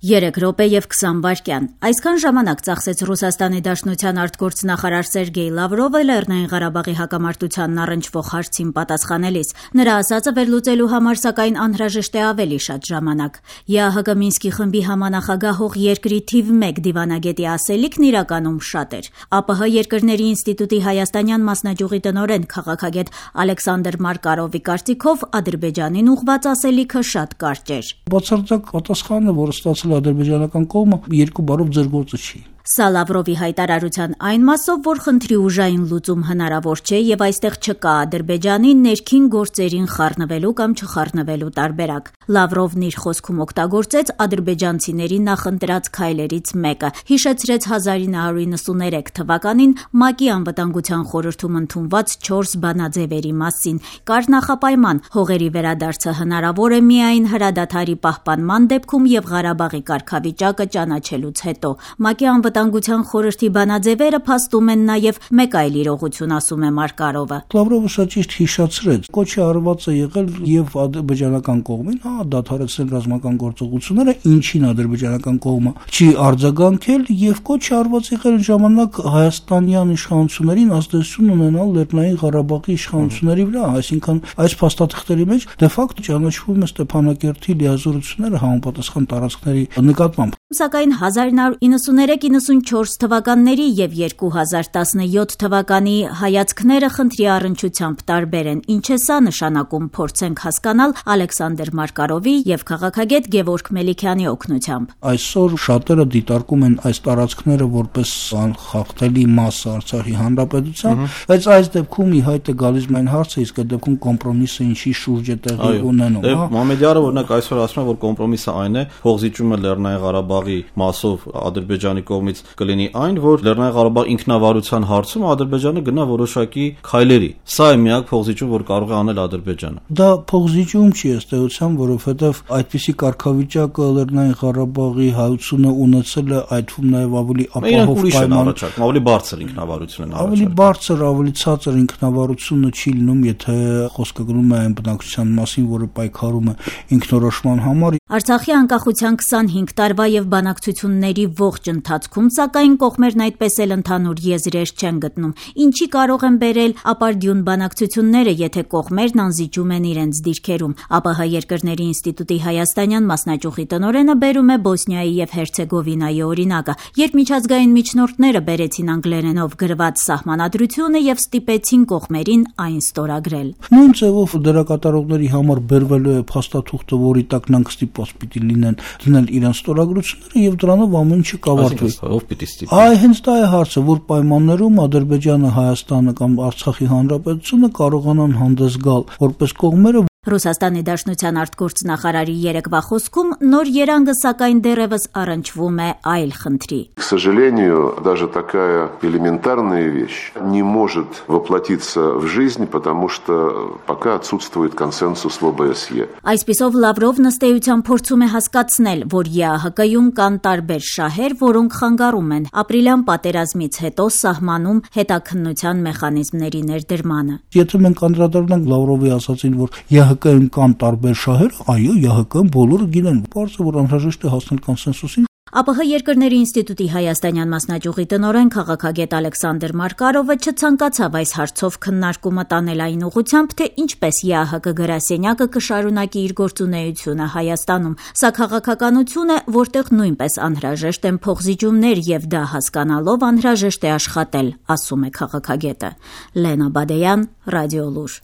3 րոպե եւ 20 վայրկյան։ Այսքան ժամանակ ծախսեց Ռուսաստանի Դաշնության արտգործնախարար Սերգեյ Լավրովը Լեռնային Ղարաբաղի հակամարտությանն առնչվող հարցին պատասխանելիս։ Նրա ասածը վերլուծելու համար սակայն անհրաժեշտ է ավելի շատ ժամանակ։ ԵԱՀԿ Մինսկի խմբի համանախագահող երկրի թիվ 1 դիվանագետի ասելիքն իրականում շատ էր։ ԱՊՀ երկրների ինստիտուտի հայաստանյան մասնաճյուղի տնօրեն քաղաքագետ Ալեքսանդր Մարկարովի կարծիքով Ադրբեջանին ուղղված ասելիքը շատ կարճ էր։ Բացարձակ պատասխանը, որը ստացել ադրբեջանական կողմը, երկու բառով ձեր գործը չի։ Սա Լավրովի հայտարարության այն մասով, որ խնդրի ուժային լուծում հնարավոր չէ եւ այստեղ չկա Ադրբեջանի ներքին գործերին խառնվելու կամ չխառնվելու տարբերակ։ Լավրովն իր խոսքում օգտագործեց ադրբեջանցիների նախընտրած քայլերից մեկը, հիշեցրեց 1993 թվականին ՄԱԿ-ի անվտանգության խորհրդում ընդունված 4 բանաձևերի մասին։ Կար նախապայման՝ հողերի վերադարձը հնարավոր է միայն հրադադարի պահպանման դեպքում եւ Ղարաբաղի կարգավիճակը ճանաչելուց հետո։ ՄԱԿ-ի անվտանգության խորհրդի բանաձևերը փաստում են նաև մեկ այլ իրողություն, ասում է Մարկարովը։ Լավրովը շատ ճիշտ հիշեցրեց, կոչի արված է եղել եւ ադրբեջանական կողմին, դադարեցնել ռազմական գործողությունները, ինչին ադրբեջանական կողմը չի արձագանքել եւ կոչի արված եղել ժամանակ հայաստանյան իշխանություններին ազդեցություն ունենալ Լեռնային Ղարաբաղի իշխանությունների վրա, այսինքն այս փաստաթղթերի մեջ դե ֆակտո ճանաչվում է Ստեփանակերտի լիազորությունները համապատասխան տարածքների նկատմամբ։ Սակայն 1993-94 թվականների եւ 2017 թվականի հայացքները խնդրի առնչությամբ տարբեր են։ Ինչ է սա նշանակում, փորձենք հասկանալ Ալեքսանդր Մարկարովի եւ քաղաքագետ Գևորգ Մելիքյանի օգնությամբ։ Այսօր շատերը դիտարկում են այս տարածքները որպես անխախտելի մաս Արցախի հանրապետության, բայց այս դեպքում ի հայտ է գալիս մեն հարցը, իսկ այդ դեպքում կոմպրոմիսը ինչի շուրջ է տեղի ունենում։ Մամեդյարը օրինակ այսօր ասում է, որ կոմպրոմիսը այն է, փողզիջումը Լեռնային Ղարաբաղի մասով Ադրբեջանի կողմից կլինի այն, որ Լեռնային Ղարաբաղ ինքնավարության հարցում Ադրբեջանը գնա որոշակի քայլերի։ Սա է միակ փողզիջում, որ կարող է անել Ադրբեջանը։ Դա փողզիջում չի ըստ էության, որովհետև այդպիսի կարգավիճակը Լեռնային Ղարաբաղի հայությունը ունեցել է, այդ թվում նաև ավելի ապահով պայման, ավելի բարձր ինքնավարություն են առաջարկում։ Ավելի բարձր, ավելի ցածր ինքնավարությունը չի լինում, եթե խոսքը գնում է այն բնակչության մասին, որը պայքարում է ինքնորոշման համար։ Արցախի անկախության 25 տարվա եւ բանակցությունների ողջ ընթացքում, սակայն կողմերն այդպես էլ ընդհանուր եզրեր չեն գտնում։ Ինչի կարող են բերել ապարդյուն բանակցությունները, եթե կողմերն անզիջում են իրենց դիրքերում։ ԱՊՀ երկրների ինստիտուտի հայաստանյան մասնաճյուղի տնօրենը բերում է Բոսնիայի եւ Հերցեգովինայի օրինակը, երբ միջազգային միջնորդները բերեցին անգլերենով գրված սահմանադրությունը եւ ստիպեցին կողմերին այն ստորագրել։ Նույն ձևով դերակատարողների համար բերվելու է փաստաթուղթը, որի տակ նրանք ստիպված պիտի լինեն դնել իրենց ստորագրությունները եւ դրանով ամեն ինչը կավարտվի։ Ով պիտի ստիպի։ Այ հենց դա է հարցը, որ պայմաններում Ադրբեջանը, Հայաստանը կամ Արցախի հանրապետությունը կարողանան հանդես գալ որպես կողմերը։ Ռուսաստանի Դաշնության արտգործնախարարի երեկվա խոսքում նոր երանգը սակայն դեռևս առնչվում է այլ խնդրի։ К сожалению, даже такая элементарная вещь не может воплотиться в жизнь, потому что пока отсутствует консенсус в ОБСЕ. Այսպիսով Լավրովն ըստ էության փորձում է հասկացնել, որ ԵԱՀԿ-ում կան տարբեր շահեր, որոնք խանգարում են ապրիլյան պատերազմից հետո սահմանում հետաքննության մեխանիզմների ներդրմանը։ Եթե մենք անդրադառնանք Լավրովի ասածին, որ ԵԱՀԿ-ում կան տարբեր շահեր, այո, ԵԱՀԿ-ում բոլորը գիտեն, բարձր որ անհրաժեշտ է հասնել կոնսենսուսին։ ԱՊՀ երկրների ինստիտուտի հայաստանյան մասնաճյուղի տնօրեն քաղաքագետ Ալեքսանդր Մարկարովը չցանկացավ այս հարցով քննարկումը տանել այն ուղղությամբ, թե ինչպես ԵԱՀԿ գրասենյակը կշարունակի իր գործունեությունը Հայաստանում։ Սա քաղաքականություն է, որտեղ նույնպես անհրաժեշտ են փողզիջումներ եւ դա հասկանալով անհրաժեշտ է աշխատել, ասում է քաղաքագետը։ Լենա Բադեյան, Ռադիոլուր։